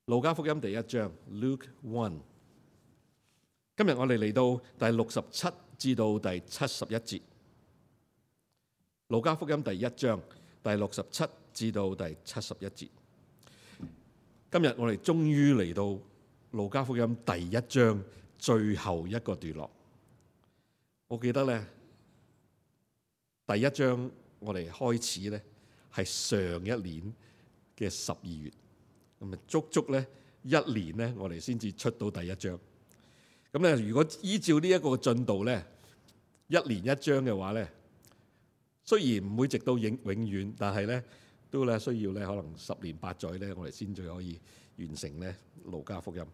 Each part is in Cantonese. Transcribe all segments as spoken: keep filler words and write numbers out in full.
路加福音第一章 Luke one。今日我哋嚟到第六十七至到第七十一節。路加福音第一章第六十七至到第七十一節。今日我哋終於嚟到路加福音第一章最後一個段落。我記得咧，第一章我哋開始咧係上一年嘅十二月，咁啊足足咧一年咧，我哋先至出到第一章。咁咧，如果依照呢一個進度咧，一年一章嘅話咧，雖然唔會直到永永遠，但係咧都咧需要咧可能十年八載咧，我哋先至可以完成咧路加福音。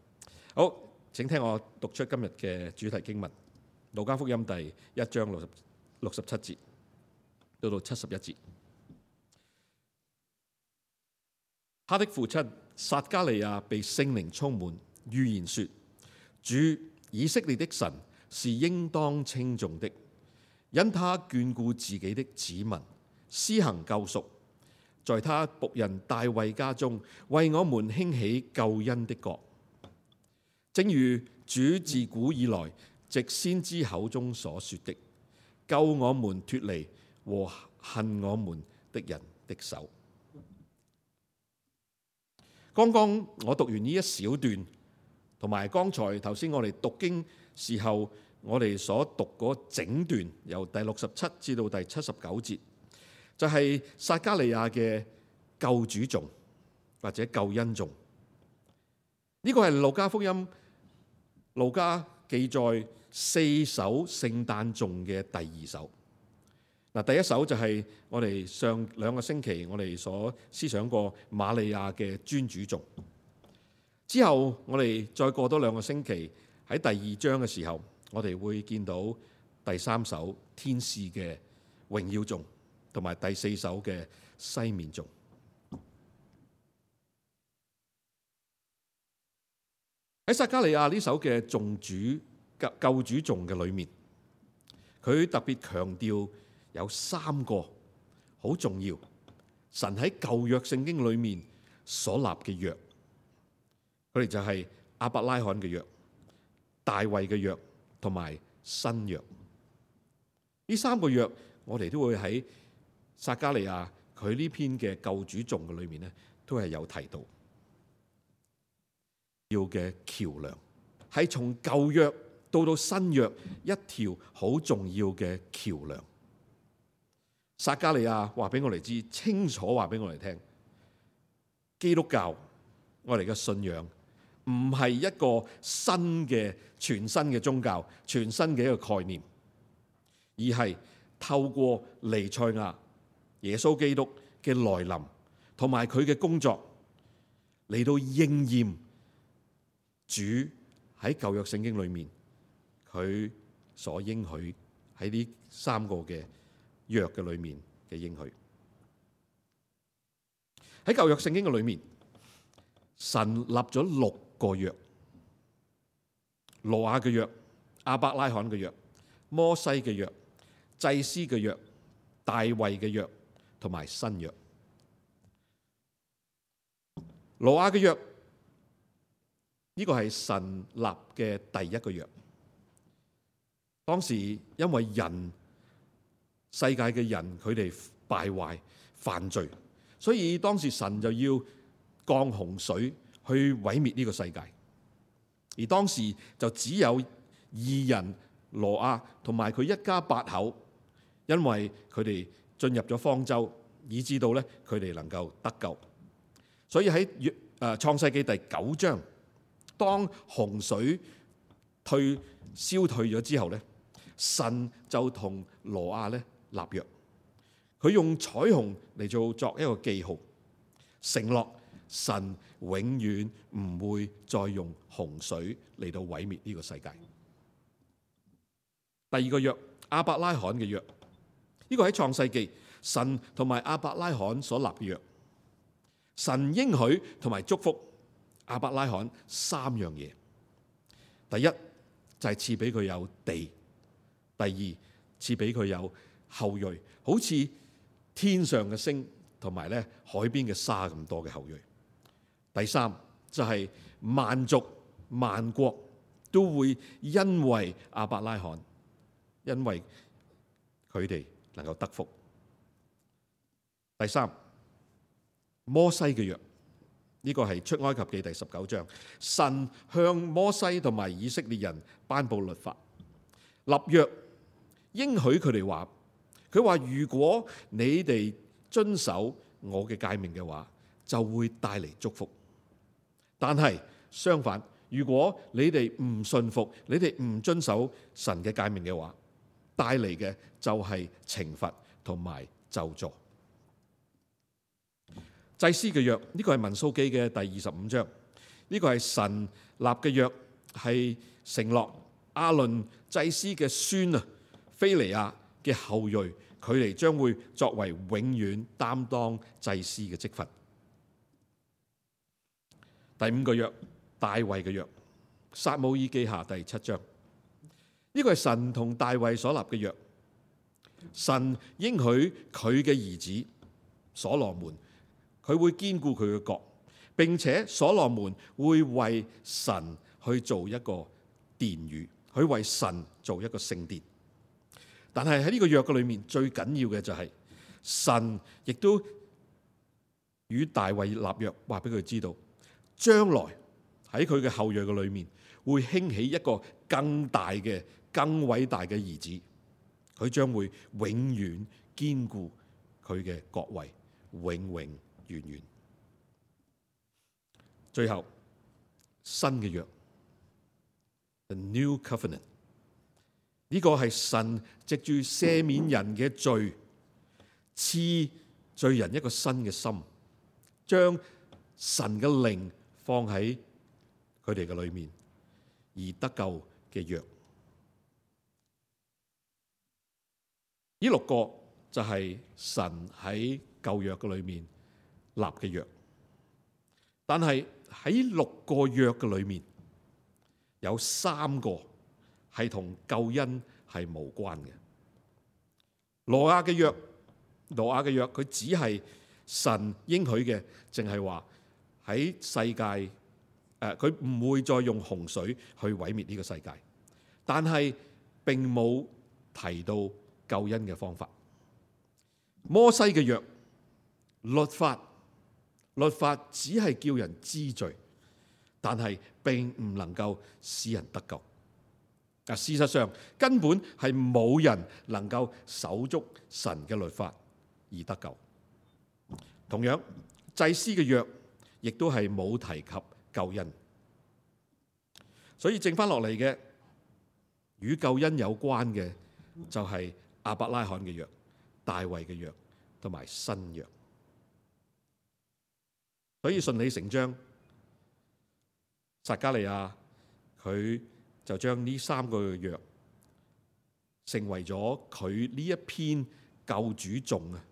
好，請聽我讀出今日嘅主題經文：路加福音第一章六十六十七節到到七十一節。他的父親撒迦利亞被聖靈充滿，預言說：主以色列的神是應當稱頌的，因他眷顧自己的子民，施行救贖，在他僕人大衛家中為我們興起救恩的國，正如主自古以來藉先知口中所說的，救我們脫離和恨我們的人的手。剛剛我讀完呢一小段，同埋剛才頭先我哋讀經時候，我哋所讀嗰整段，由第六十七至到第七十九節，就係撒迦利亞嘅救主頌或者救恩頌。呢個係路加福音路加記載四首聖誕頌嘅第二首。嗱，第一首就係我哋上兩個星期我哋所思想過瑪利亞嘅尊主頌。之後我哋再過多兩個星期喺第二章嘅時候，我哋會見到第三首天使嘅榮耀頌，同埋第四首嘅西面頌。喺撒迦利亞呢首嘅頌主救救主頌嘅裏面，佢特別強調有三個好重要神喺舊約聖經裏面所立嘅約，佢哋就係亞伯拉罕嘅約、大衛嘅約同埋新約。呢三個約我哋都會喺撒迦利亞佢呢篇嘅救主頌嘅裏面咧，都係有提到要嘅橋樑，係從舊約到到新約一條好重要嘅橋樑。撒迦利亞話俾我哋知，清楚話俾我哋聽，基督教我哋嘅信仰唔係一個新嘅全新嘅宗教，全新嘅一個概念，而係透過彌賽亞耶穌基督嘅來臨同埋佢嘅工作嚟到應驗主喺舊約聖經裏面佢所應許喺呢三個嘅約嘅裏面嘅應許。喺舊約聖經嘅裏面，神立咗六個約：挪亞嘅約、亞伯拉罕嘅約、摩西嘅約、祭司嘅約、大衛嘅約同埋新約。挪亞嘅約呢個係神立嘅第一個約。當時因為人世界嘅人佢哋敗壞犯罪，所以當時神就要降洪水去毀滅呢個世界。而當時就只有義人挪亞同埋佢一家八口，因為佢哋進入咗方舟，以致到咧佢哋能夠得救。所以喺誒創世記第九章，當洪水退消退咗之後咧，神就同挪亞咧立約，佢用彩虹嚟做作一個記號，承諾神永遠唔會再用洪水嚟到毀滅呢個世界。第二個約，亞伯拉罕嘅約，呢個喺創世記神同埋亞伯拉罕所立嘅約，神應許同埋祝福亞伯拉罕三樣嘢。第一就係賜俾佢有地，第二賜俾佢有後裔，好似天上嘅星同埋咧海邊嘅沙咁多嘅後裔。第三就係萬族萬國都會因為亞伯拉罕，因為佢哋能夠得福。第三，摩西嘅約，呢個係出埃及記第十九章，神向摩西同埋以色列人頒布律法、立約，應許佢哋話，佢話如果你哋遵守我嘅誡命嘅話，就會帶嚟祝福。但係相反，如果你哋唔信服，你哋唔遵守神嘅誡命嘅話，帶嚟嘅就係懲罰同埋咒詛。祭司嘅約，呢個係民數記嘅第二十五章，呢個係神立嘅約，係承諾亞倫祭司嘅孫啊，非尼亞嘅後裔，佢哋將會作為永遠擔當祭司嘅職分。第五個約，大衛嘅約，撒母耳記下第七章，呢個係神同大衛所立嘅約，神應許佢嘅兒子所羅門，佢會堅固佢嘅國，並且所羅門會為神去做一個殿宇，去為神做一個聖殿。但係喺呢個約嘅裏面，最緊要嘅就係神亦都與大衛立約，話俾佢知道，將來喺佢嘅後裔嘅裏面，會興起一個更大嘅、更偉大嘅兒子，佢將會永遠堅固佢嘅國位，永永遠遠。最後，新嘅約 ，The New Covenant， 呢個係神藉住赦免人嘅罪，賜罪人一個新嘅心，將神嘅靈放喺佢哋嘅裏面，而得救嘅約。呢六個就係神喺舊約嘅裏面立嘅約，但係喺六個約嘅裏面，有三個係同救恩係無關嘅。挪亞嘅約，挪亞嘅約，佢只係神應許嘅，淨係話喺世界，誒，佢唔會再用洪水去毀滅呢個世界，但係並冇提到救恩嘅方法。摩西嘅約，律法，律法只係叫人知罪，但係並唔能夠使人得救。啊，事實上根本係冇人能夠守足神嘅律法而得救。同樣，祭司嘅約亦都係冇提及救恩。所以剩翻落嚟嘅與救恩有關嘅就係亞伯拉罕嘅約、大衛嘅約同埋新約。所以順理成章，撒迦利亞佢就將呢三個約成為咗佢呢一篇救主頌啊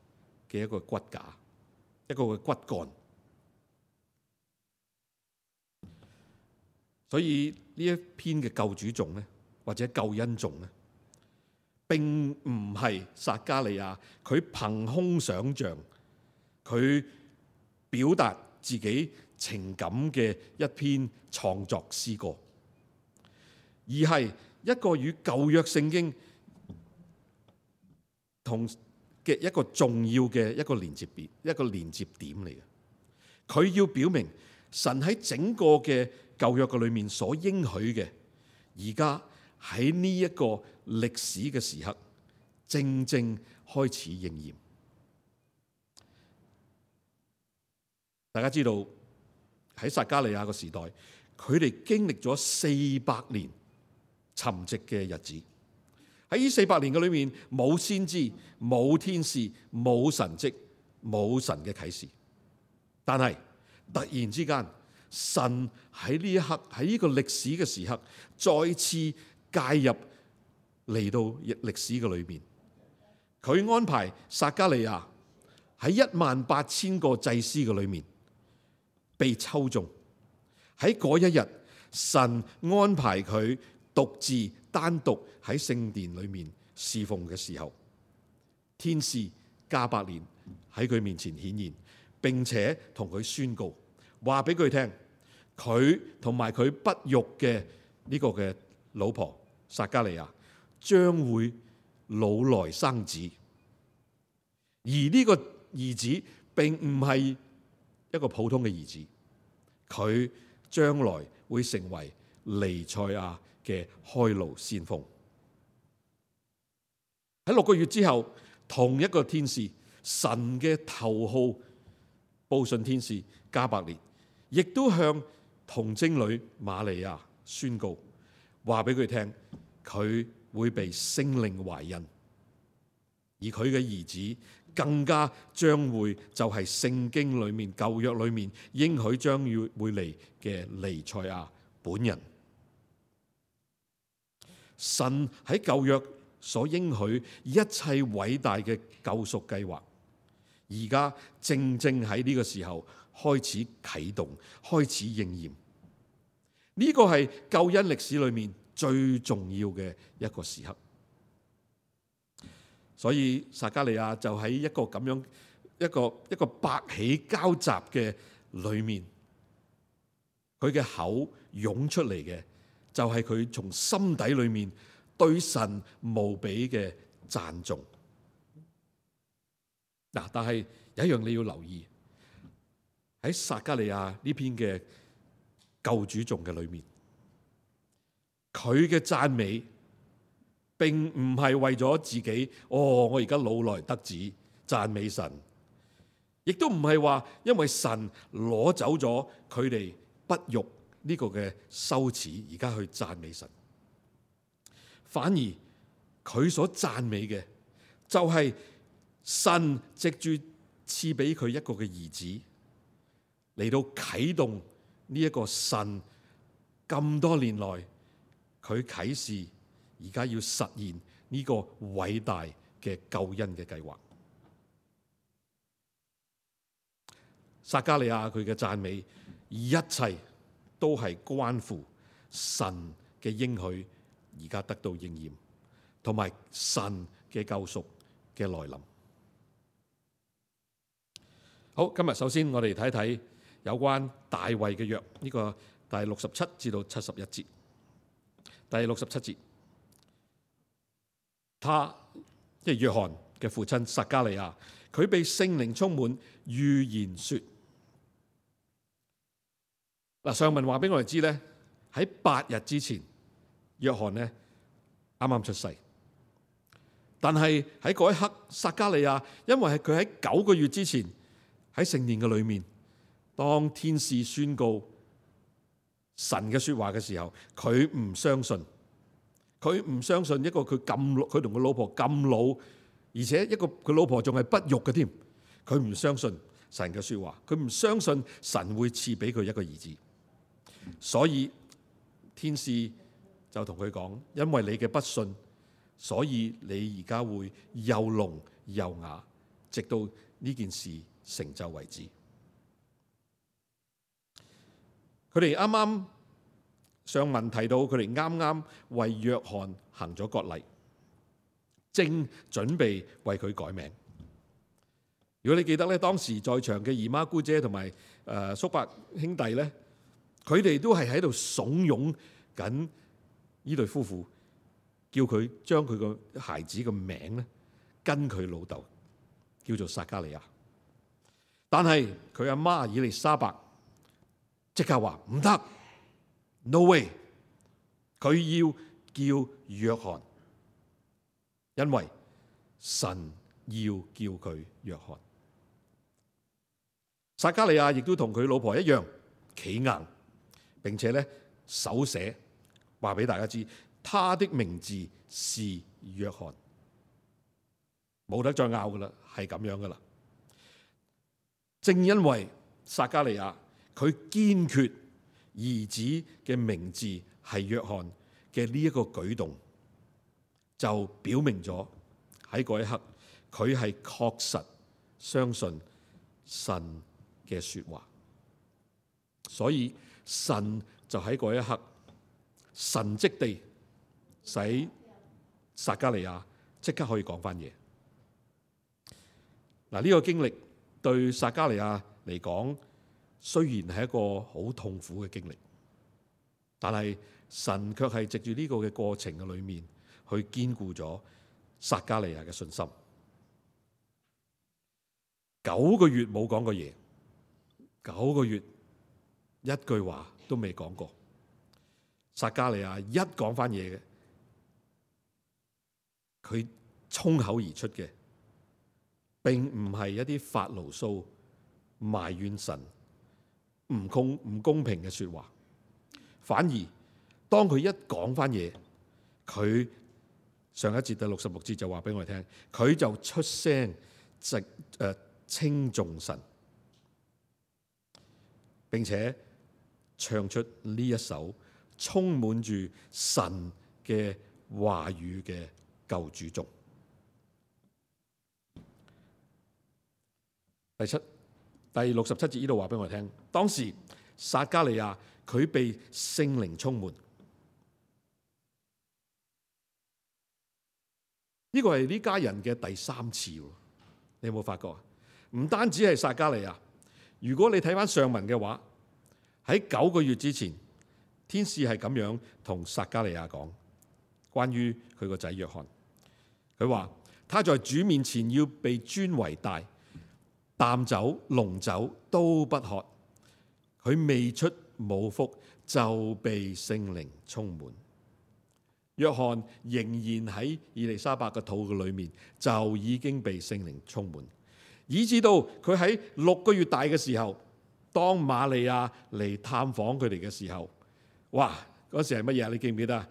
嘅一個骨架，一個嘅骨幹。所以呢一篇嘅救主頌咧，或者救恩頌咧，並唔係撒迦利亞佢憑空想象，佢表達自己情感嘅一篇創作詩歌，而係一個與舊約聖經同嘅一個重要嘅一個連接點，一個連接點嚟嘅。佢要表明神喺整個嘅舊約嘅裏面所應許嘅，而家喺呢一個歷史嘅時刻，正正開始應驗。大家知道喺撒迦利亞個時代，佢哋經歷咗四百年沉寂嘅日子。喺呢四百年嘅裏面，冇先知、冇天使、冇神蹟、冇神嘅啟示。但係突然之間，神喺呢一刻，喺呢個歷史嘅時刻，再次介入嚟到歷史嘅裏面。佢安排撒迦利亞喺一萬八千個祭司嘅裏面被抽中。喺嗰一日，神安排佢獨自單獨喺聖殿裏面侍奉嘅時候，天使加百列喺佢面前顯現，並且同佢宣告，話俾佢聽，佢同埋佢不育嘅呢個嘅老婆撒迦利亞將會老來生子，而呢個兒子並唔係一個普通嘅兒子，佢將來會成為彌賽亞嘅開路先鋒。喺六個月之後，同一個天使，神嘅頭號報信天使加百列，亦都向童貞女瑪利亞宣告，話俾佢聽，佢會被聖靈懷孕，而佢嘅兒子更加將會就係聖經裏面舊約裏面應許將要會嚟嘅彌賽亞本人。神喺舊約所應許一切偉大嘅救贖計劃，而家正正喺呢個時候開始啟動，開始應驗。呢個係救恩歷史裏面最重要嘅一個時刻。所以撒迦利亞就喺一個咁樣一個一個百喜交集嘅裏面，佢嘅口湧出嚟嘅就係佢從心底裏面對神無比嘅讚頌。嗱，但係有一樣你要留意，喺撒迦利亞呢篇嘅救主頌嘅裏面，佢嘅讚美並唔係為咗自己，哦，我而家老來得子讚美神，亦都唔係話因為神攞走咗佢哋不育呢個嘅羞恥，而家去讚美神。反而佢所讚美嘅就係神藉住賜俾佢一個嘅兒子嚟到啟動呢一個神咁多年來佢啟示而家要實現呢個偉大嘅救恩嘅計劃。撒迦利亞佢嘅讚美，一切都係關乎神嘅應許而家得到應驗，同埋神嘅救贖嘅來臨。好，今日首先我哋睇睇有關大衛嘅約，呢個第六十七至到七十一節。第六十七節，他即係約翰嘅父親撒迦利亞，佢被聖靈充滿，預言說。嗱，上文話俾我哋知咧，喺八日之前，約翰咧啱啱出世，但係喺嗰一刻，撒迦利亞因為係佢喺九個月之前喺聖殿嘅裏面，當天使宣告神嘅說話嘅時候，佢唔相信，佢唔相信一個佢咁老，佢同佢老婆咁老，而且一個佢老婆仲係不育嘅添，佢唔相信神嘅說話，佢唔相信神會賜俾佢一個兒子，所以天使就同佢講，因為你嘅不信，所以你而家會又聾又啞，直到呢件事成就為止。佢哋啱啱上文提到，佢哋啱啱為約翰行咗割禮，正準備為佢改名。如果你記得咧，當時在場嘅姨媽姑姐同埋誒叔伯兄弟咧，佢哋都係喺度慫恿緊呢對夫婦，叫佢將佢個孩子嘅名咧跟佢老豆叫做撒迦利亞。但係佢阿媽以利沙伯即刻話唔得 ，no way， 佢要叫約翰，因為神要叫佢約翰。撒迦利亞亦都同佢老婆一樣企硬，並且咧手寫話俾大家知，他的名字是約翰，冇得再拗噶啦，係咁樣噶啦。正因為撒迦利亞佢堅決兒子嘅名字係約翰嘅呢一個舉動，就表明咗喺嗰一刻佢係確實相信神嘅說話，所以神就喺嗰一刻神蹟地使撒迦利亞即刻可以講翻嘢。嗱，呢個經歷對撒迦利亞嚟講雖然係一個好痛苦嘅經歷，但係神卻係藉住呢個嘅過程嘅裏面，去堅固咗撒迦利亞嘅信心。九個月冇講過嘢，九個月一句話都未講過。撒迦利亞一講翻嘢嘅，佢衝口而出嘅，並唔係一啲發牢騷、埋怨神唔公唔公平嘅說話，反而當佢一講翻嘢，佢上一節第六十六節就話俾我哋聽，佢就出聲直誒稱頌神，並且唱出呢一首充滿住神嘅話語嘅救主頌。第七、第六十七節呢度話俾我哋聽，當時撒迦利亞佢被聖靈充滿，呢個係呢家人嘅第三次，你有冇發覺？唔單止係撒迦利亞，如果你睇翻上文嘅話，喺九個月之前，天使係咁樣同撒迦利亞講，關於佢個仔約翰，佢話他在主面前要被尊為大，淡酒濃酒都不喝，佢未出母腹就被聖靈充滿。約翰仍然喺以利沙伯嘅肚嘅裏面就已經被聖靈充滿，以至到佢喺六個月大嘅時候，當瑪利亞嚟探訪佢哋嘅時候，哇！嗰時係乜嘢？你記唔記得啊？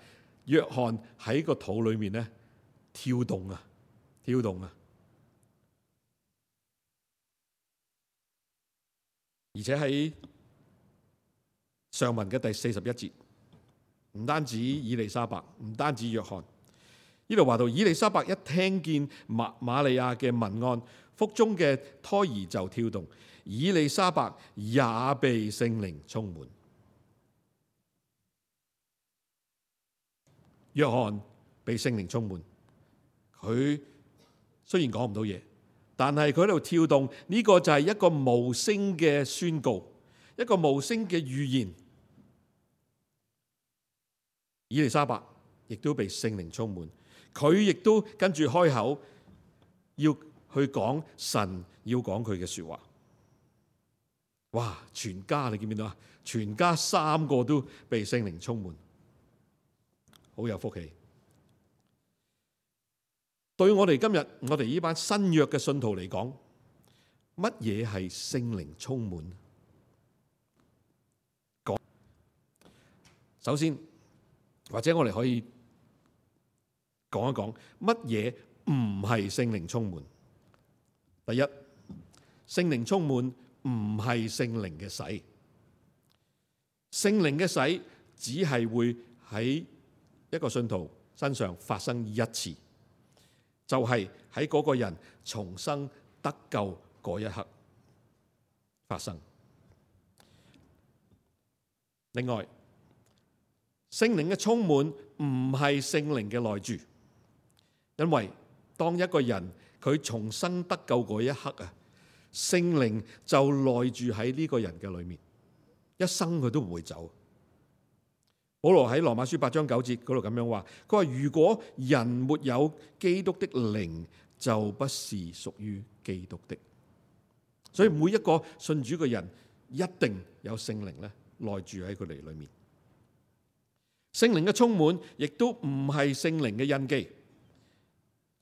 約翰喺個肚裏面咧跳動啊，跳動啊！而且喺上文嘅第四十一節，唔單止以利沙伯，唔單止約翰，呢度話到以利沙伯一聽見瑪瑪利亞嘅問安，腹中嘅胎兒就跳動，以利沙伯也被聖靈充滿。約翰被聖靈充滿，佢雖然講唔到嘢，但係佢喺度跳動，呢個就係一個無聲嘅宣告，一個無聲嘅預言。以利沙伯亦都被聖靈充滿，佢亦都跟住開口要去講神要講佢嘅說話。哇！全家你見唔見到啊？全家三個都被聖靈充滿，好有福氣。對我哋今日我哋呢班新約嘅信徒嚟講，乜嘢係聖靈充滿？講，首先或者我哋可以講一講乜嘢唔係聖靈充滿。第一，聖靈充滿唔係聖靈嘅洗，聖靈嘅洗只係會喺一個信徒身上發生一次，就係喺嗰個人重生得救嗰一刻發生。另外，聖靈嘅充滿唔係聖靈嘅內住，因為當一個人佢重生得救嗰一刻啊，聖靈就內住喺呢個人嘅裏面，一生佢都唔會走。保羅喺羅馬書八章九節嗰度咁樣話，佢話如果人沒有基督的靈，就不是屬於基督的。所以每一個信主嘅人一定有聖靈咧內住喺佢哋裏面。聖靈嘅充滿亦都唔係聖靈嘅印記，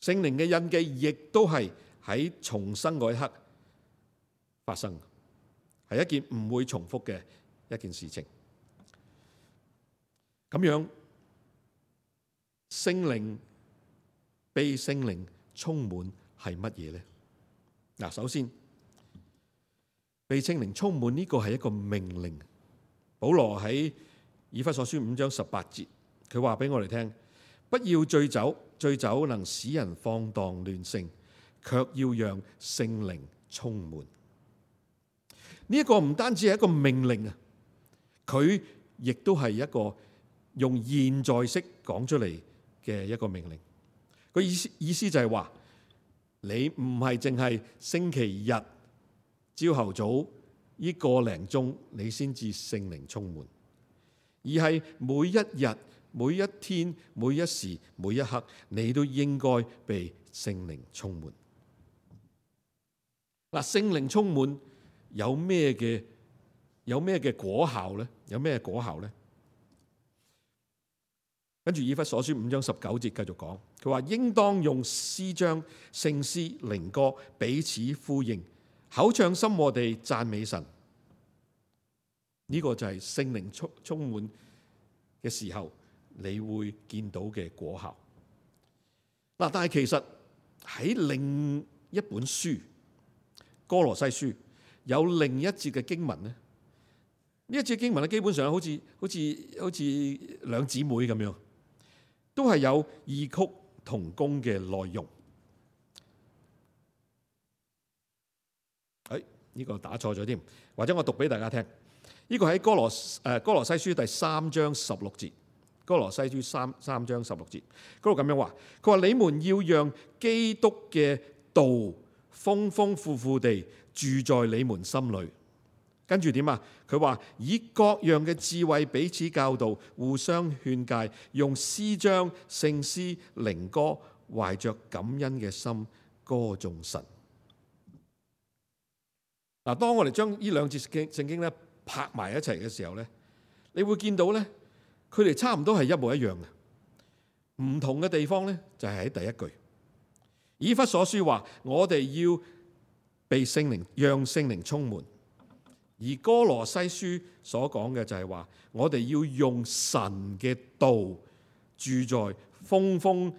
聖靈嘅印記亦都係喺重生嗰一刻發生，係一件唔會重複嘅一件事情。咁樣，聖靈被聖靈充滿係乜嘢呢？嗱，首先被聖靈充滿呢個係一個命令。保羅喺以弗所書五章十八節，佢話俾我哋聽：不要醉酒，醉酒能使人放蕩亂性，卻要讓聖靈充滿。呢一個唔單止係一個命令啊，佢亦都係一個用現在式講出嚟嘅一個命令。個意思意思就係話，你唔係淨係星期日朝頭早呢個零鐘你先至聖靈充滿，而係每一日、每一天、每一時、每一刻，你都應該被聖靈充滿。嗱，聖靈充滿有咩嘅有咩嘅果效咧？有咩果效咧？跟住以弗所書五章十九節繼續講，佢話應當用詩章、聖詩、靈歌彼此呼應，口唱心和地讚美神。呢、這個就係聖靈充充滿嘅時候，你會見到嘅果效。嗱，但係其實喺另一本書歌羅西書有另一節嘅經文咧，呢一節經文咧基本上好似好似好似兩姊妹咁樣，都係有異曲同工嘅內容。誒，呢個打錯咗添，或者我讀俾大家聽。呢個喺歌羅誒歌羅西書第三章十六節，歌羅西書三三章十六節嗰度咁樣話，佢話你們要讓基督嘅道豐豐富富地住在你們心裏。跟住點啊？佢話以各樣嘅智慧彼此教導，互相勸誡，用詩章、聖詩、靈歌，懷着感恩嘅心歌頌神。嗱，當我哋將呢兩節聖經咧拍埋一齊嘅時候咧，你會見到咧，佢哋差唔多係一模一樣嘅，唔同嘅地方咧就係喺第一句。以弗所書話我哋要被聖靈，讓聖靈充滿。而歌羅西書所講嘅就係話，我哋要用神嘅道住在豐豐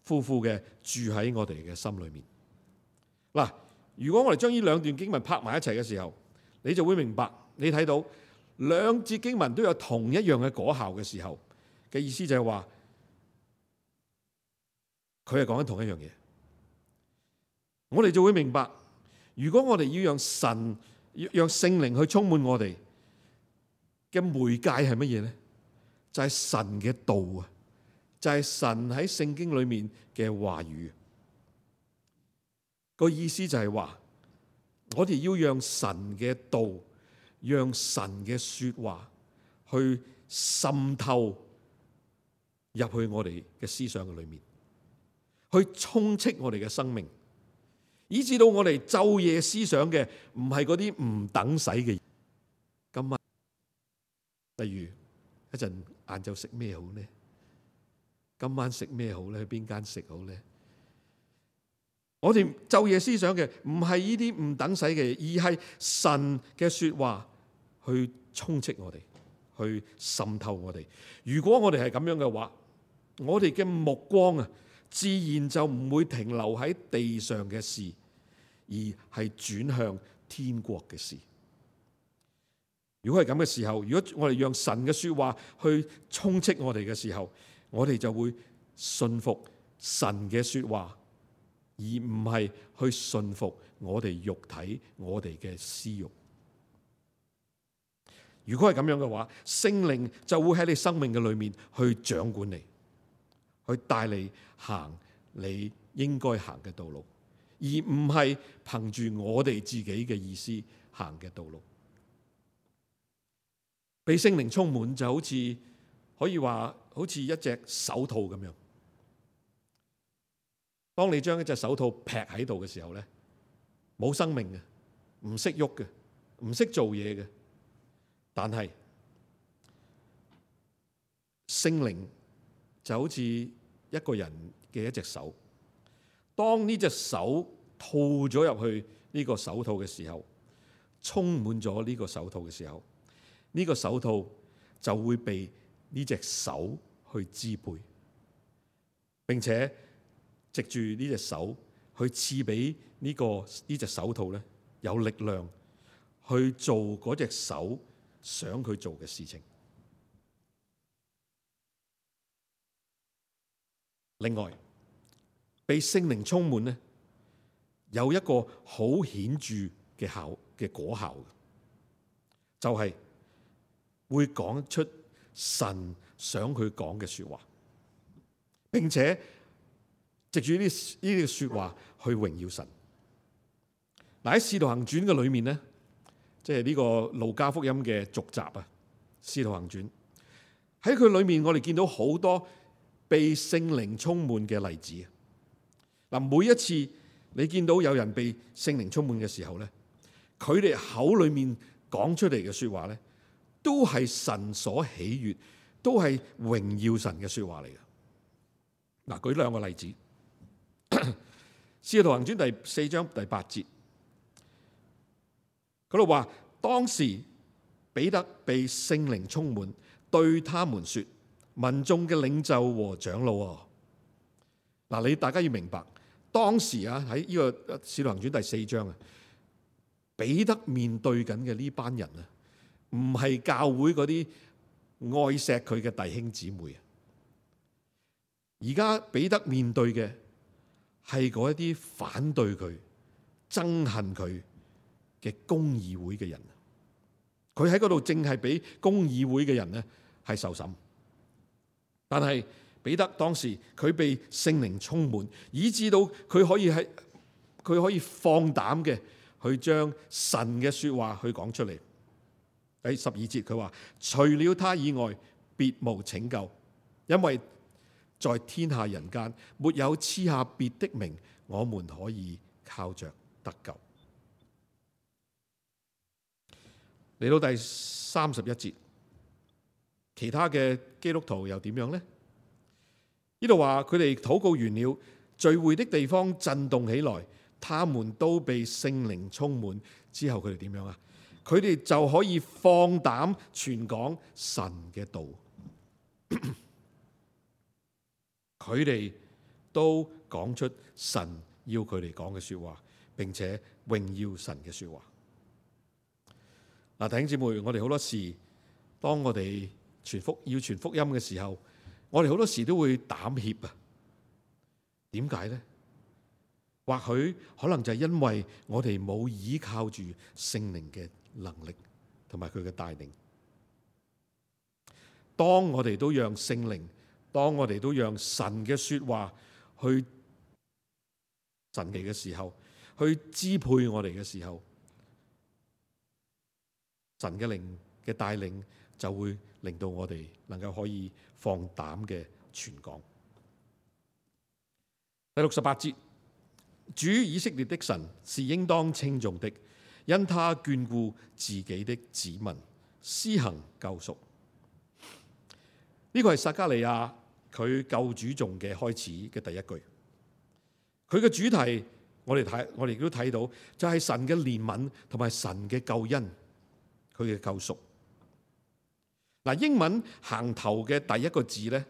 富富嘅住喺我哋嘅心裏面。嗱，如果我哋將呢兩段經文拍埋一齊嘅時候，你就會明白，你睇到兩節經文都有同一樣嘅果效嘅時候嘅意思就係話，佢係講緊同一樣嘢。我哋就會明白，如果我哋要讓神讓聖靈去充滿我哋嘅媒介係乜嘢咧？就係神嘅道啊，就係神喺聖經裏面嘅話語。個意思就係話，我哋要讓神嘅道，讓神嘅說話去滲透入去我哋嘅思想嘅裏面，去充斥我哋嘅生命。以至到我哋晝夜思想嘅唔係嗰啲唔等使嘅。今晚例如一陣晏晝食咩好呢？今晚食咩好咧？去邊間食好咧？我哋晝夜思想嘅唔係呢啲唔等使嘅，而係神嘅說話去充斥我哋，去滲透我哋。如果我哋係咁樣嘅話，我哋嘅目光啊，自然就唔會停留喺地上嘅事，而係轉向天國嘅事。如果係咁嘅時候，如果我哋讓神嘅說話去充斥我哋嘅時候，我哋就會信服神嘅說話，而唔係去信服我哋肉體、我哋嘅私欲。如果係咁樣嘅話，聖靈就會喺你生命嘅裏面去掌管你，去帶你行你應該行嘅道路，而唔係憑住我哋自己嘅意思行嘅道路。被聖靈充滿就好似可以話好似一隻手套咁樣。當你將一隻手套劈喺度嘅時候咧，冇生命嘅，唔識喐嘅，唔識做嘢嘅。但係聖靈就好似一個人嘅一隻手，當呢隻手套咗入去呢個手套嘅時候，充滿咗呢個手套嘅時候，呢個手套就會被呢隻手去支配，並且藉住呢隻手去賜俾呢個呢隻手套咧有力量去做嗰隻手想佢做嘅事情。另外，被聖靈充滿咧，有一個好顯著嘅效嘅果效，就係會講出神想佢講嘅說話，並且藉住呢呢啲說話去榮耀神。嗱，喺《使徒行傳》嘅裏面咧，即係呢個路加福音嘅續集啊，《使徒行傳》喺佢裏面，我哋見到好多被聖靈充滿嘅例子。嗱，每一次你見到有人被聖靈充滿嘅時候咧，佢哋口裏面講出嚟嘅說話咧，都係神所喜悅，都係榮耀神嘅說話嚟嘅。嗱，舉兩個例子，《使徒行傳》第四章第八節，嗰度話，當時彼得被聖靈充滿，對他們說：民眾嘅領袖和長老啊，嗱，你大家要明白，當時啊喺呢個《使徒行傳》第四章啊，彼得面對緊嘅呢班人啊，唔係教會嗰啲愛錫佢嘅弟兄姊妹啊，而家彼得面對嘅係嗰一啲反對佢、憎恨佢嘅公議會嘅人。佢喺嗰度正係俾公議會嘅人咧係受審，但係彼得當時佢被聖靈充滿，以致到佢可以喺佢可以放膽嘅去將神嘅說話去講出嚟。第十二節佢話：除了他以外，別無拯救，因為在天下人間沒有賜下別的名，我們可以靠着得救。嚟到第三十一節，其他嘅基督徒又點樣呢？呢度話佢哋禱告完了，聚會的地方震動起來，他們都被聖靈充滿。之後佢哋點樣啊？佢哋就可以放膽傳講神嘅道。佢哋都講出神要佢哋講嘅說話，並且榮耀神嘅說話。嗱，弟兄姊妹，我哋好多時，當我哋傳福要傳福音嘅時候，我哋好多時都會膽怯啊。點解呢？或許可能就係因為我哋冇依靠住聖靈嘅能力同埋佢嘅帶領。當我哋都讓聖靈，當我哋都讓神嘅說話去神嚟嘅時候，去支配我哋嘅時候，神嘅靈嘅帶領就會令到我哋能夠可以放膽嘅傳講。第六十八節，主以色列的神是應當稱頌的，因他眷顧自己的子民，施行救贖。呢個係撒迦利亞佢救主頌嘅開始嘅第一句。佢嘅主題，我哋睇，我哋亦都睇到，就係神嘅憐憫同埋神嘅救恩。佢嘅救贖。嗱，英文行頭嘅第一個字咧，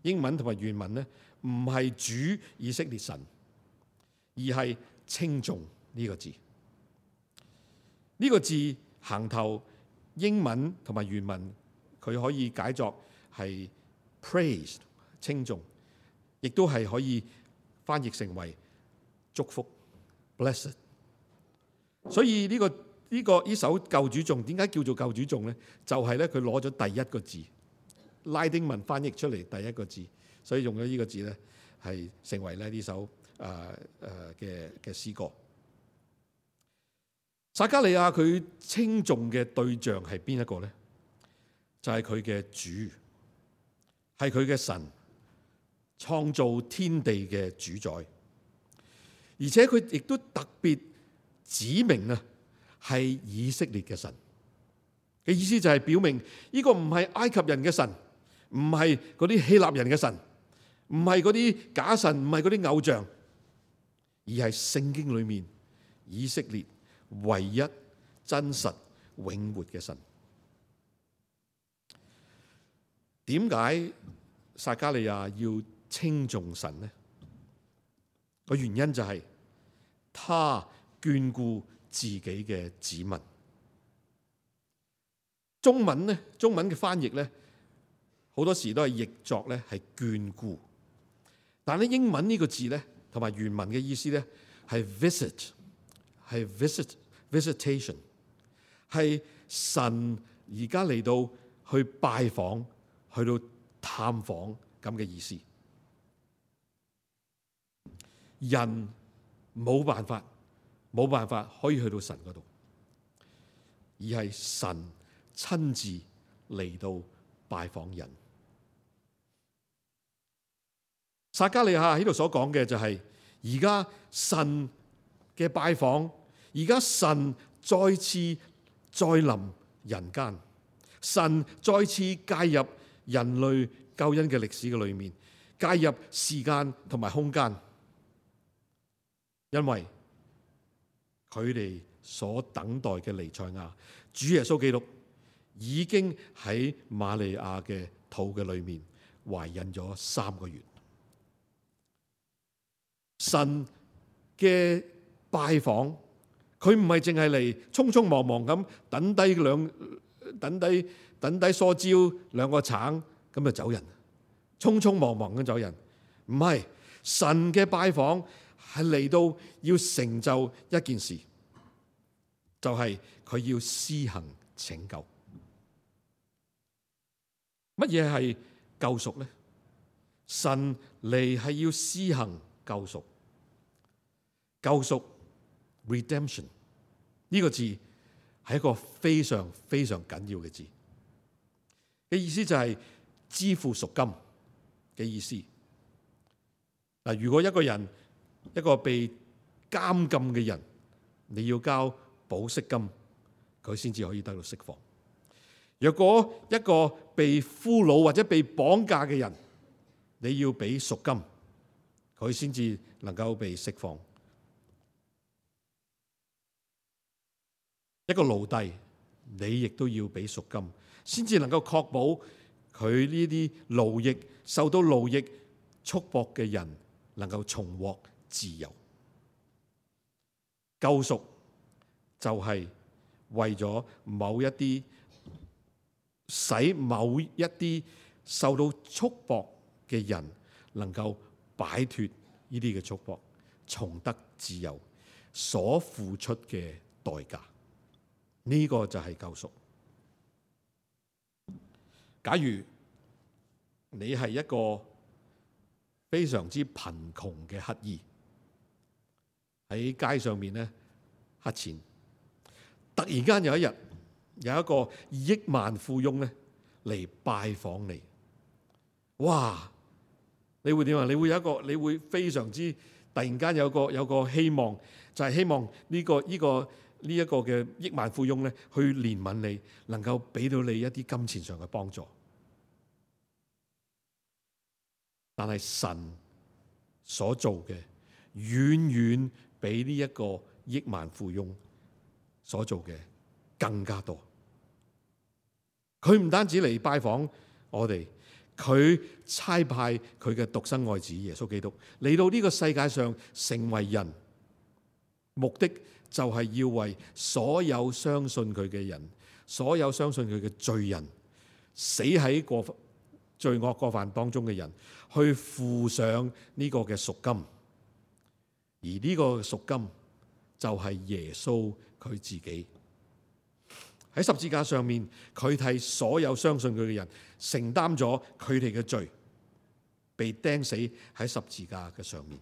英文同埋原文咧，唔係主以色列神，而係稱頌呢個字。呢個字行頭英文同埋原文，佢可以解作係 praise 稱頌，亦都係可以翻譯成為祝福 blessed。所以呢個。呢、這個呢首救主頌點解叫做救主頌咧？就係咧佢攞咗第一個字，拉丁文翻譯出嚟第一個字，所以用咗呢個字咧，係成為咧呢首誒誒嘅嘅詩歌。撒迦利亞佢稱頌嘅對象係邊一個咧？就係佢嘅主，係佢嘅神，創造天地嘅主宰，而且佢亦都特別指明啊。係以色列嘅神嘅意思就係表明呢個唔係埃及人嘅神，唔係嗰啲希臘人嘅神，唔係嗰啲假神，唔係嗰啲偶像，而係聖經裏面以色列唯一真實永活嘅神。點解撒迦利亞要稱頌神呢？個原因就係他眷顧自己嘅子民。中文咧，中文嘅翻譯咧，好多時都係譯作咧係眷顧，但係英文呢個字咧，同埋原文嘅意思咧係 visit， 係 visit visitation， 係神而家嚟到去拜訪，去到探訪咁嘅意思。人冇辦法。冇辦法可以去到神嗰度，而係神親自嚟到拜訪人。撒迦利亞喺度所講嘅就係，而家神嘅拜訪，而家神再次再臨人間，神再次介入人類救恩嘅歷史嘅裏面，介入時間同埋空間，因為佢哋所等待嘅彌賽亞主耶穌基督已經喺瑪利亞嘅肚嘅裏面懷孕咗三個月。神嘅拜訪，佢唔係淨係嚟匆匆忙忙咁等低兩等低等低梳蕉兩個橙咁就走人，匆匆忙忙咁走人。唔係，神嘅拜訪係嚟到要成就一件事，就係佢要施行拯救。乜嘢係救贖呢？神嚟係要施行救贖。救贖 redemption 呢個字係一個非常非常緊要嘅字，嘅意思就係支付贖金嘅意思。嗱，如果一個人一個被監禁嘅人，你要交保釋金，佢先至可以得到釋放。若果一個被俘虜或者被綁架嘅人，你要俾贖金，佢先至能夠被釋放。一個奴隸，你亦都要俾贖金，先至能夠確保佢呢啲奴役受到奴役束縛嘅人能夠重獲自由。救贖就係為咗某一啲，使某一啲受到束縛嘅人能夠擺脫呢啲嘅束縛，重得自由所付出嘅代價。呢個就係救贖。假如你係一個非常之貧窮嘅乞兒，喺街上面咧乞錢，突然間有一日有一個億萬富翁咧嚟拜訪你，哇！你會點啊？你會有一個，你會非常之突然間有個有個希望，就係希望呢個呢個。呢一個嘅億萬富翁咧，去憐憫你，能夠俾到你一啲金錢上嘅幫助。但係神所做嘅，遠遠比呢一個億萬富翁所做嘅更加多。佢唔單止嚟拜訪我哋，佢差派佢嘅獨生愛子耶穌基督嚟到呢個世界上成為人，目的就係要為所有相信佢嘅人，所有相信佢嘅罪人，死喺過罪惡過犯當中嘅人，去付上呢個嘅贖金。而呢個贖金就係耶穌佢自己喺十字架上面，佢替所有相信佢嘅人承擔咗佢哋嘅罪，被釘死喺十字架嘅上面，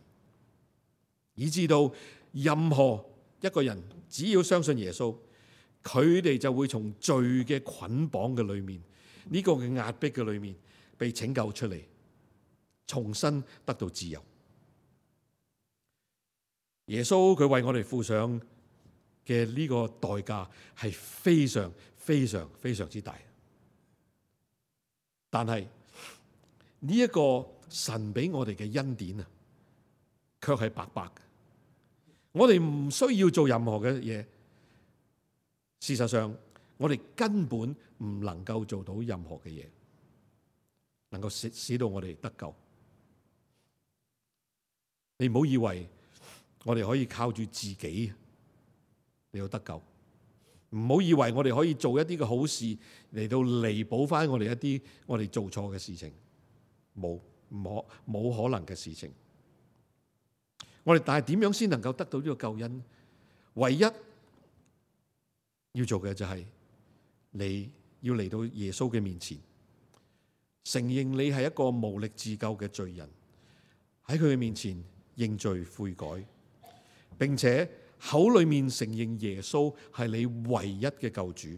以至到任何一個人只要相信耶穌，佢哋就會從罪嘅捆綁嘅裏面，呢個嘅壓迫嘅裏面被拯救出嚟，重新得到自由。耶穌佢為我哋付上嘅呢個代價係非常非常非常之大，但係呢一個神俾我哋嘅恩典啊，卻係白白嘅。我哋唔需要做任何嘅嘢，事實上我哋根本唔能夠做到任何嘅嘢，能夠使使到我哋得救。你唔好以為我哋可以靠住自己嚟到得救，唔好以為我哋可以做一啲嘅好事嚟到彌補翻我哋一啲我哋做錯嘅事情，冇唔可冇可能嘅事情。我哋但係點樣先能夠得到呢個救恩？唯一要做嘅就係你要嚟到耶穌嘅面前，承認你係一個無力自救嘅罪人，喺佢嘅面前認罪悔改，並且口裏面承認耶穌係你唯一嘅救主，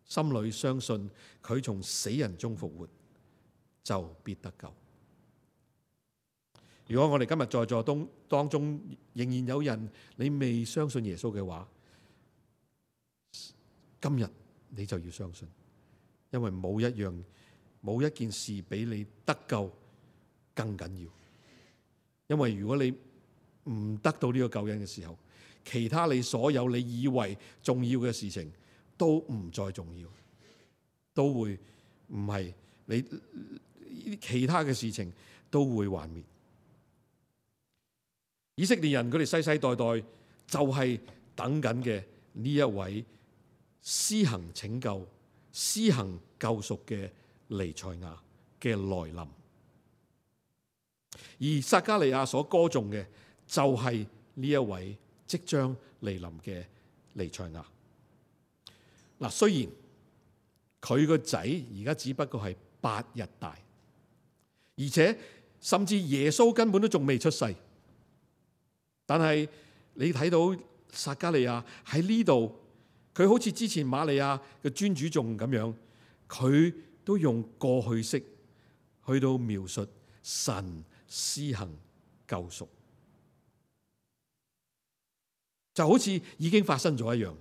心裏相信佢從死人中復活，就必得救。如果我哋今日在座當當中仍然有人你未相信耶穌嘅話，今日你就要相信，因為冇一樣冇一件事比你得救更緊要。因為如果你唔得到呢個救恩嘅時候，其他你所有你以為重要嘅事情都唔再重要，都會唔係你其他嘅事情都會幻滅。以色列人佢哋世世代代就係等緊嘅呢一位施行拯救、施行救贖嘅彌賽亞嘅來臨，而撒迦利亞所歌頌嘅就係呢一位即將嚟臨嘅彌賽亞。嗱，雖然佢個仔而家只不過係八日大，而且甚至耶穌根本都仲未出世，但係你睇到撒迦利亞喺呢度，佢好似之前瑪利亞嘅尊主頌咁樣，佢都用過去式去到描述神施行救贖，就好似已經發生咗一樣。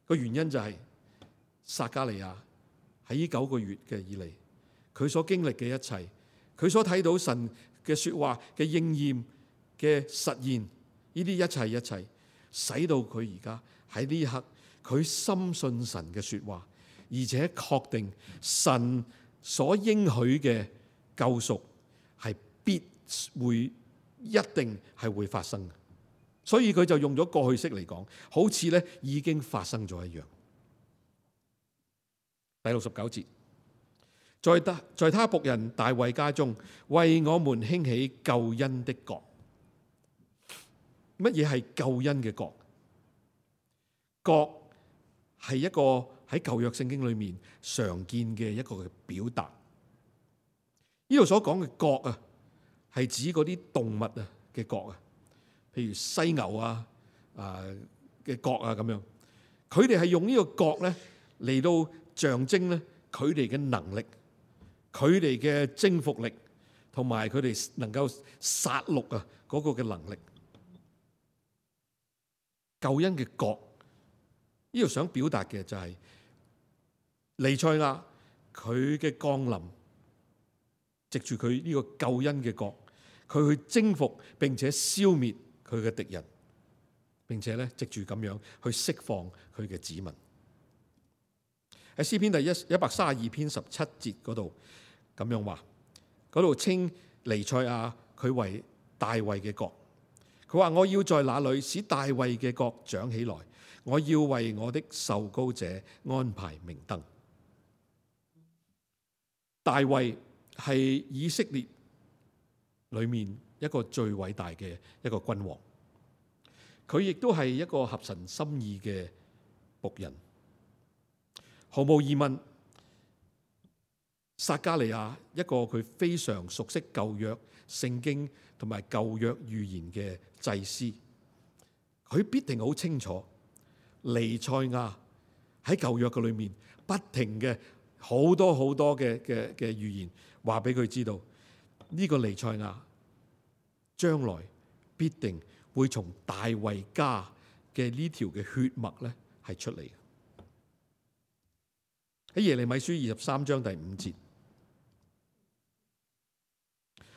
個原因就係撒迦利亞喺呢九個月嘅以嚟，佢所經歷嘅一切，佢所睇到神嘅說話嘅應驗嘅實現，呢啲一切一切，使到佢而家喺呢一刻，佢深信神嘅說話，而且確定神所應許嘅救贖係必會一定係會發生嘅，所以佢就用咗過去式嚟講，好似咧已經發生咗一樣。第六十九節，在他在他僕人大衛家中，為我們興起救恩的國。乜嘢係救恩嘅國？國係一個喺舊約聖經裏面常見嘅一個嘅表達。呢度所講嘅國啊，係指嗰啲動物啊嘅國啊，譬如犀牛啊啊嘅國啊咁樣。佢哋係用呢個國咧嚟到象徵咧佢哋嘅能力、佢哋嘅征服力，同埋佢哋能夠殺戮啊嗰個嘅能力。救恩嘅國，呢度想表達嘅就係彌賽亞佢嘅降臨，藉住佢呢個救恩嘅國，佢去征服並且消滅佢嘅敵人，並且咧藉住咁樣去釋放佢嘅子民。喺詩篇第一一百三十二篇十七節嗰度咁樣話，嗰度稱彌賽亞佢為大衛嘅國。佢話：我要在那裏使大衛嘅國長起來，我要為我的受膏者安排明燈。大衛係以色列裏面一個最偉大嘅一個君王，佢亦都係一個合神心意嘅僕人。毫無疑問，撒迦利亞一個佢非常熟悉舊約聖經同埋舊約預言嘅祭司，佢必定好清楚彌賽亞喺舊約嘅裏面不停嘅好多好多嘅嘅嘅預言，話俾佢知道呢個彌賽亞將來必定會從大衛家嘅呢條嘅血脈咧係出嚟。喺耶利米書二十三章第五節，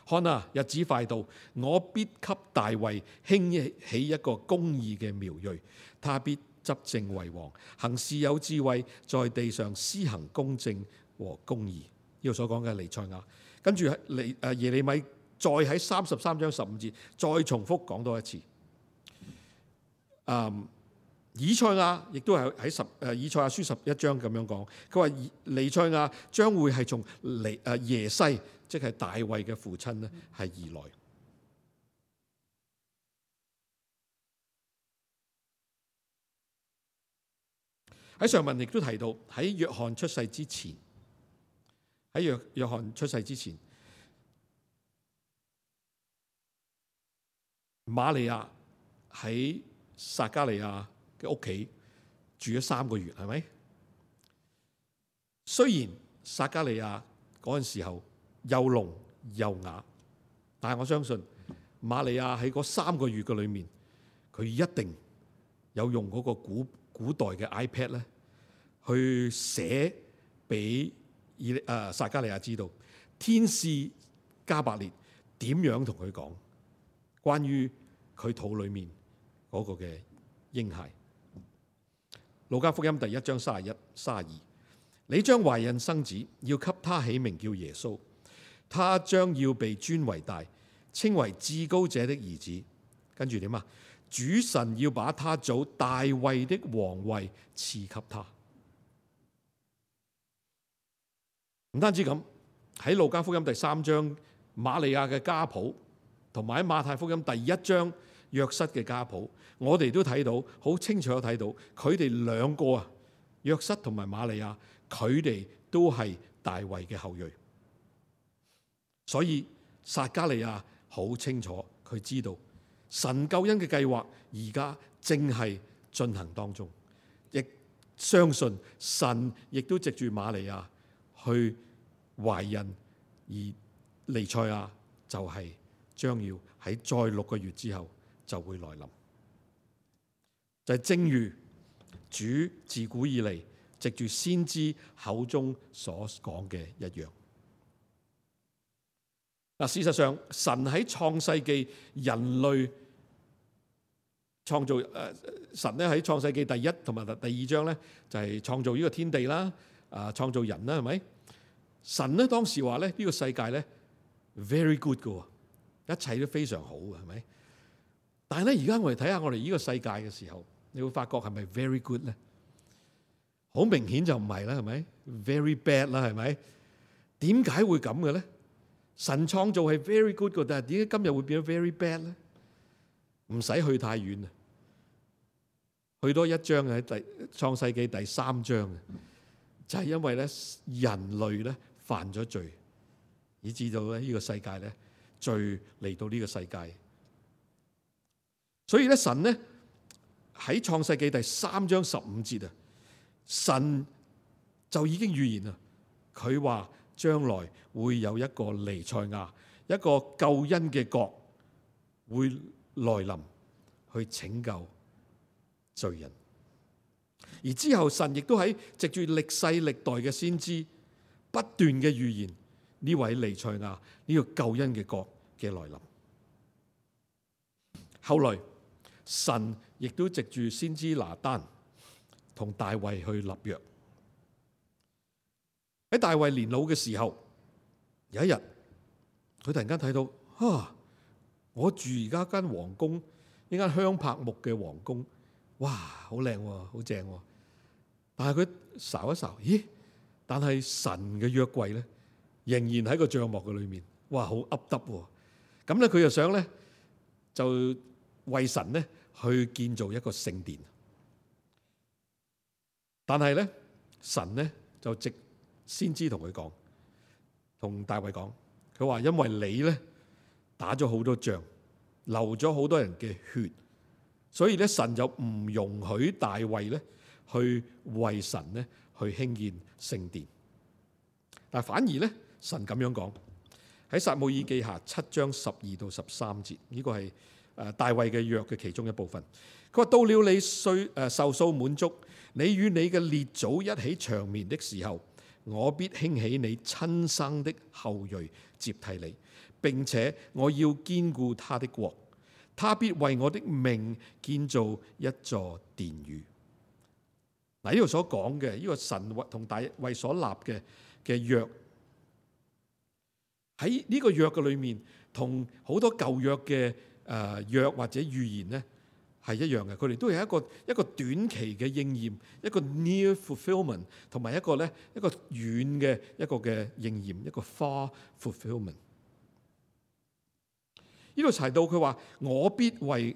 看啊，日子快到，我必給大衛興起一個公義嘅苗裔，他必執政為王，行事有智慧，在地上施行公正和公義。呢個所講嘅彌賽亞，跟住嚟誒耶利米再喺三十三章十五節再重複講多一次。嗯。以賽亞亦都係喺十誒以賽亞書十一章咁樣講，佢話彌賽亞將會係從彌誒耶西，即係大衛嘅父親咧，係而來。喺上文亦都提到喺約翰出世之前，喺約約翰出世之前，瑪利亞喺撒迦利亞嘅屋企住咗三個月，係咪？雖然撒迦利亞嗰陣時候又聾又啞，但係我相信瑪利亞喺嗰三個月嘅裏面，佢一定有用嗰個古古代嘅 iPad 咧，去寫俾以誒撒迦利亞知道天使加百列點樣同佢講關於佢肚裏面嗰個嘅嬰孩。路加福音第一章三十一、三十二，你將懷孕生子，要給他起名叫耶穌，他將要被尊為大，稱為至高者的兒子。跟住點啊？主神要把他祖大衛的王位賜給他。唔單止咁，喺路加福音第三章瑪利亞嘅家譜，同埋喺馬太福音第一章約瑟嘅家譜，我哋都睇到好清楚睇到，佢哋兩個啊，約瑟同埋瑪利亞，佢哋都係大衛嘅後裔。所以撒迦利亞好清楚，佢知道神救恩嘅計劃而家正係進行當中，亦相信神亦都藉住瑪利亞去懷孕，而彌賽亞就係將要喺再六個月之後就會來臨。就係、是、正如主自古以嚟藉住先知口中所講嘅一樣。嗱，事實上神喺創世記人類創造誒，神咧喺創世記第一同埋第二章咧就係創造呢個天地啦，啊創造人啦，係咪？神咧當時話咧呢個世界咧 very good 嘅，一切都非常好嘅，係咪？但係咧而家我哋睇下我哋呢個世界嘅時候，你會發覺係咪 very good 咧？好明顯就唔係啦，係咪 very bad 啦？係咪？點解會咁嘅咧？神創造係 very good 嘅，但係點解今日會變咗 very bad 咧？唔使去太遠啊，去多一章喺第創世記第三章，就係因為咧人類咧犯咗罪，以致到咧呢個世界咧罪嚟到呢個世界。所以咧神咧喺創世記第三章十五節啊，神就已經預言啦，佢話將來會有一個彌賽亞，一個救恩嘅國會來臨去拯救罪人。而之後神亦都喺藉住歷世歷代嘅先知不斷嘅預言呢位彌賽亞呢個救恩嘅國嘅來臨。後來神亦都藉住先知拿單同大衛去立約。喺大衛年老嘅時候，有一日佢突然間睇到，啊！我住而家間皇宮，呢間香柏木嘅皇宮，哇，好靚喎，好正喎。但係佢睄一睄，咦？但係神嘅約櫃咧，仍然喺個帳幕嘅裏面，哇，好噏耷喎。咁咧，佢又想咧，就為神咧去建造一個聖殿。但係咧，神咧就直先知同佢講，同大衛講，佢話因為你咧打咗好多仗，流咗好多人嘅血，所以咧神就唔容許大衛咧去為神咧去興建聖殿。但反而咧神咁樣講，喺撒母耳記下七章十二到十三節，呢個係誒大衛嘅約嘅其中一部分。佢話到了你歲誒壽數滿足，你與你嘅列祖一起長眠的時候，我必興起你親生的後裔接替你，並且我要堅固他的國，他必為我的名建造一座殿宇。嗱，呢度所講嘅呢個神同大衛所立嘅嘅約，喺呢個約嘅裏面，同好多舊約嘅誒約或者預言咧係一樣嘅，佢哋都係一個一個短期嘅應驗，一個 near fulfillment， 同埋一個咧一個遠嘅一個嘅應驗，一個 far fulfillment。呢度提到佢話：我必為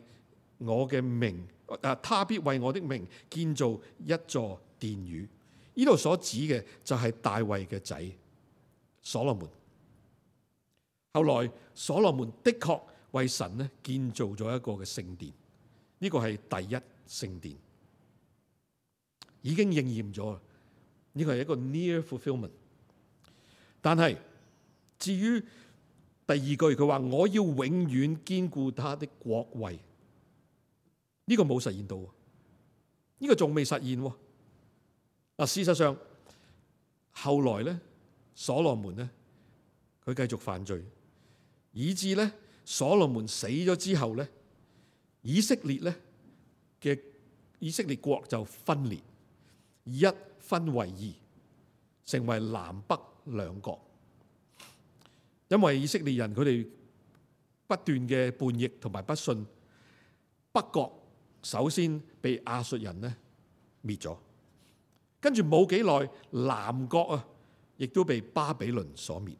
我嘅名，啊，他必為我的名建造一座殿宇。呢度所指嘅就係大衛嘅仔所羅門。後來所羅門的確為神咧建造咗一個嘅聖殿。呢個係第一聖殿，已經應驗咗。呢個係一個 near fulfillment。但係至於第二句，佢話我要永遠堅固他的國位，呢個冇實現到，呢個仲未實現。嗱，事實上後來咧，所羅門咧，佢繼續犯罪，以致咧所羅門死咗之後咧，以色列咧嘅以色列國就分裂，一分為二，成為南北兩國。因為以色列人佢哋不斷嘅叛逆同埋不信，北國首先被亞述人咧滅咗，跟住冇幾耐，南國啊亦都被巴比倫所滅。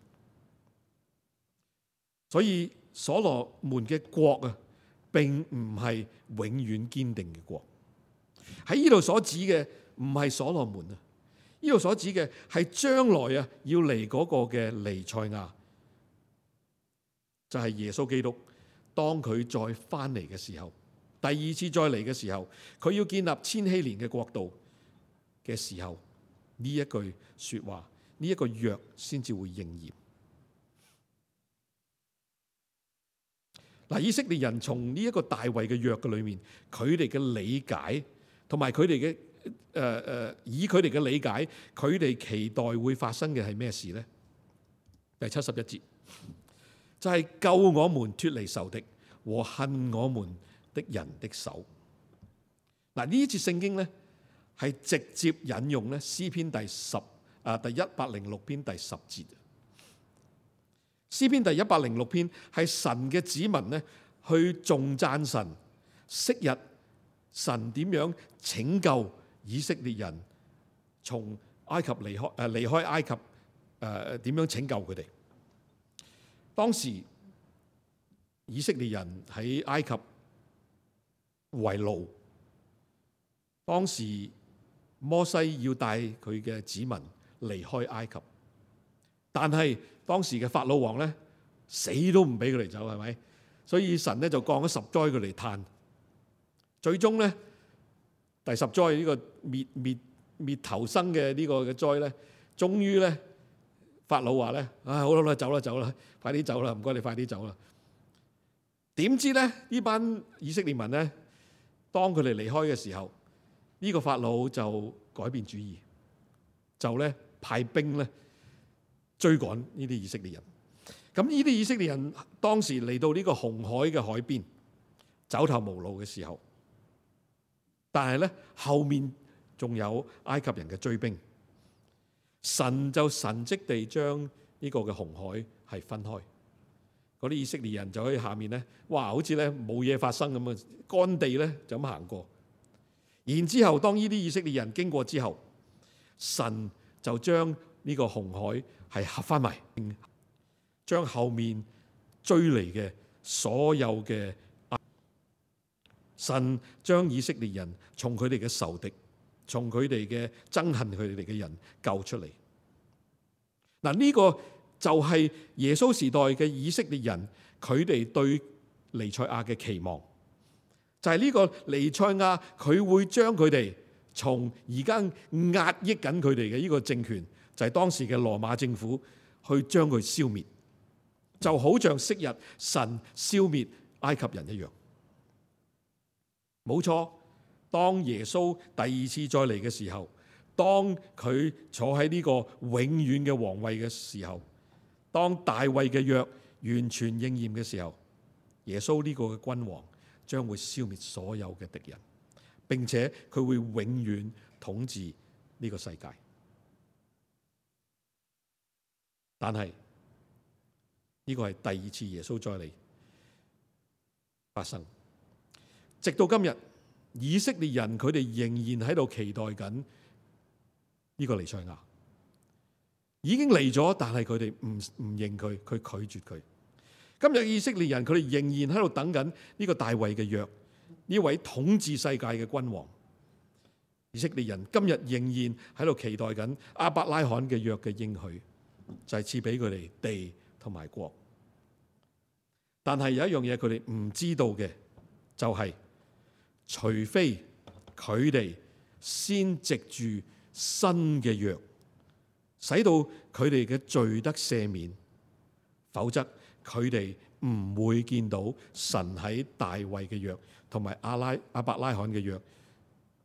所以所羅門嘅國啊，並唔係永遠堅定嘅國。喺呢度所指嘅唔係所羅門啊，呢度所指嘅係將來啊要嚟嗰個嘅彌賽亞，就係耶穌基督。當佢再翻嚟嘅時候，第二次再嚟嘅時候，佢要建立千禧年嘅國度嘅時候，呢一句說話，呢一個約先至會應驗。嗱，以色列人從呢一個大衛嘅約嘅裏面，佢哋嘅理解同埋佢哋嘅誒誒，以佢哋嘅理解，佢哋期待會發生嘅係咩事呢？第七十一節就係、是、救我們脫離仇敵和恨我們的人的手。嗱，呢一節聖經咧係直接引用咧詩篇第十啊第一百零六篇第十節。詩篇第一百零六篇係神嘅子民咧去頌讚神，昔日神點樣拯救以色列人從埃及離開誒離開埃及誒點樣拯救佢哋？當時以色列人喺埃及為奴，當時摩西要帶佢嘅子民離開埃及，但係當時嘅法老王咧死都唔俾佢哋走，係咪？所以神咧就降咗十災佢嚟嘆，最終咧第十災呢個滅滅滅頭生嘅呢個嘅災咧，終於咧法老話咧，唉、哎，好啦，走啦走啦，快啲走啦，唔該你快啲走啦。點知咧呢班以色列民咧，當佢哋離開嘅時候，呢、這個法老就改變主意，就咧派兵咧追趕呢啲以色列人。咁呢啲以色列人當時嚟到呢個紅海嘅海邊，走投無路嘅時候，但係咧後面仲有埃及人嘅追兵，神就神蹟地將呢個嘅紅海係分開，嗰啲以色列人就喺下面咧，哇，好似咧冇嘢發生咁啊，乾地咧就咁行過。然之後當呢啲以色列人經過之後，神就將呢個紅海係合翻埋，將後面追嚟嘅所有嘅神將以色列人從佢哋嘅仇敵，從佢哋嘅憎恨佢哋嘅人救出嚟。嗱，呢個就係耶穌時代嘅以色列人，佢哋對彌賽亞嘅期望，就係呢個彌賽亞佢會將佢哋從而家壓抑緊佢哋嘅呢個政權，就係當時嘅羅馬政府，去將佢消滅，就好像昔日神消滅埃及人一樣。冇錯，當耶穌第二次再嚟嘅時候，當佢坐喺呢個永遠嘅皇位嘅時候，當大衛嘅約完全應驗嘅時候，耶穌呢個嘅君王將會消滅所有嘅敵人，並且佢會永遠統治呢個世界。但係呢個係第二次耶穌再嚟發生。直到今日，以色列人佢哋仍然喺度期待緊呢個彌賽亞，已經嚟咗，但係佢哋唔唔認佢，佢拒絕佢。今日以色列人佢哋仍然喺度等緊呢個大衛嘅約，呢位統治世界嘅君王。以色列人今日仍然喺度期待緊亞伯拉罕嘅約嘅應許，就係賜俾佢哋地同埋國。但係有一樣嘢佢哋唔知道嘅，就係、是。除非佢哋先藉住新嘅約，使到佢哋嘅罪得赦免，否則佢哋唔會見到神喺大衛嘅約同埋阿拉亞伯拉罕嘅約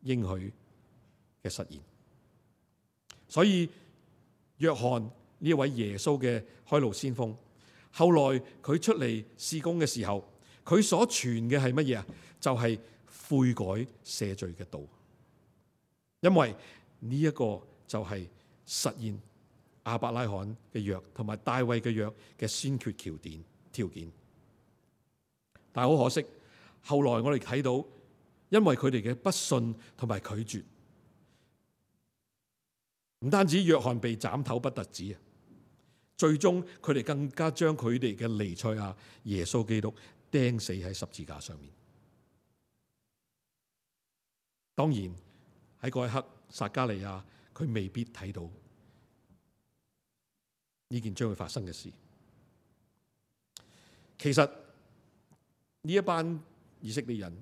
應許嘅實現。所以約翰呢位耶穌嘅開路先鋒，後來佢出嚟事工嘅時候，佢所傳嘅係乜嘢啊？就係、是、悔改赦罪嘅道。因為呢一個就係實現亞伯拉罕嘅約同埋大衛嘅約嘅先決條件條件。但係好可惜，後來我哋睇到，因為佢哋嘅不信同埋拒絕，唔單止約翰被斬頭不特止啊，最終佢哋更加將佢哋嘅彌賽亞耶穌基督釘死喺十字架上面。當然喺嗰一刻，撒迦利亞佢未必睇到呢件將會發生嘅事。其實呢一班以色列人，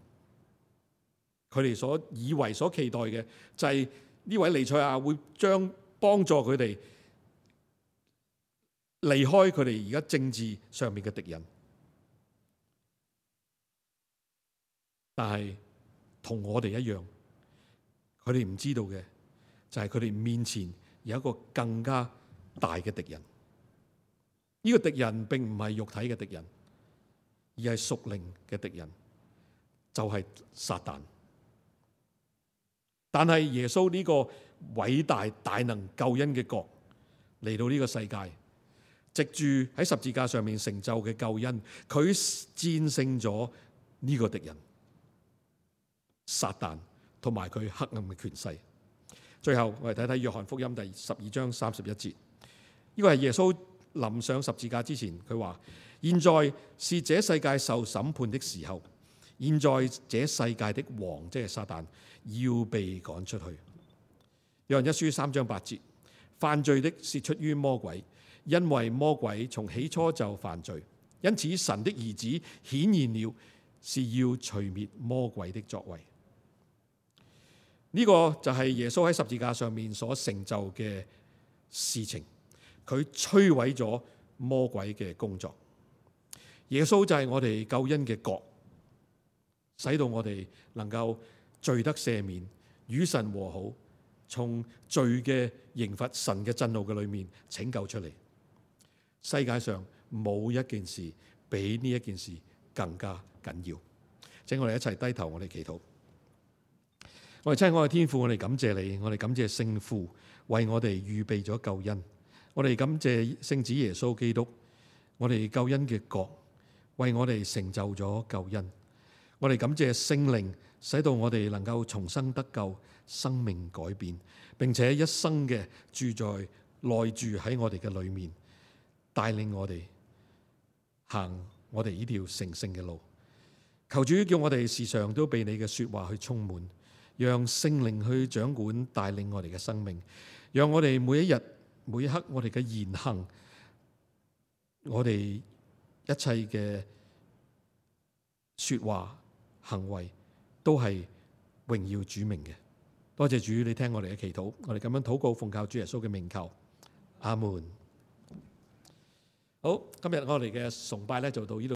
佢哋所以為所期待嘅就係呢位彌賽亞會將幫助佢哋離開佢哋而家政治上面嘅敵人。但係同我哋一樣，佢哋唔知道嘅就係佢哋面前有一個更加大嘅敵人。呢個敵人並唔係肉體嘅敵人，而係屬靈嘅敵人，就係撒旦。但係耶穌呢個偉大大能救恩嘅國嚟到呢個世界，藉住喺十字架上面成就嘅救恩，佢戰勝咗呢個敵人撒旦同埋佢黑暗嘅權勢。最後我哋睇睇約翰福音第十二章三十一節，呢個係耶穌臨上十字架之前，佢話：現在是這世界受審判的時候，現在這世界的王，即係撒旦，要被趕出去。約翰一書三章八節，犯罪的是出於魔鬼，因為魔鬼從起初就犯罪，因此神的兒子顯現了，是要除滅魔鬼的作為。呢、這個就係耶穌喺十字架上面所成就嘅事情，佢摧毀咗魔鬼嘅工作。耶穌就係我哋救恩嘅國，使到我哋能夠罪得赦免，與神和好，從罪嘅刑罰、神嘅震怒嘅裏面拯救出嚟。世界上冇一件事比呢一件事更加緊要。請我哋一齊低頭，我哋祈禱。我哋親愛嘅天父，我哋感謝你，我哋感謝聖父為我哋預備咗救恩，我哋感謝聖子耶穌基督，我哋救恩嘅國為我哋成就咗救恩，我哋感謝聖靈使到我哋能夠重生得救，生命改變，並且一生嘅住在內住喺我哋嘅裏面，帶領我哋行我哋呢條成聖嘅路。求主叫我哋時常都被你嘅說話去充滿，讓聖靈去掌管帶領我哋嘅生命，讓我哋每一日每一刻我哋嘅言行，我哋一切嘅說話行為都係榮耀主名嘅。多謝主，你聽我哋嘅祈禱，我哋咁樣禱告奉靠主耶穌嘅名求，阿門。好，今日我哋嘅崇拜咧就到呢度。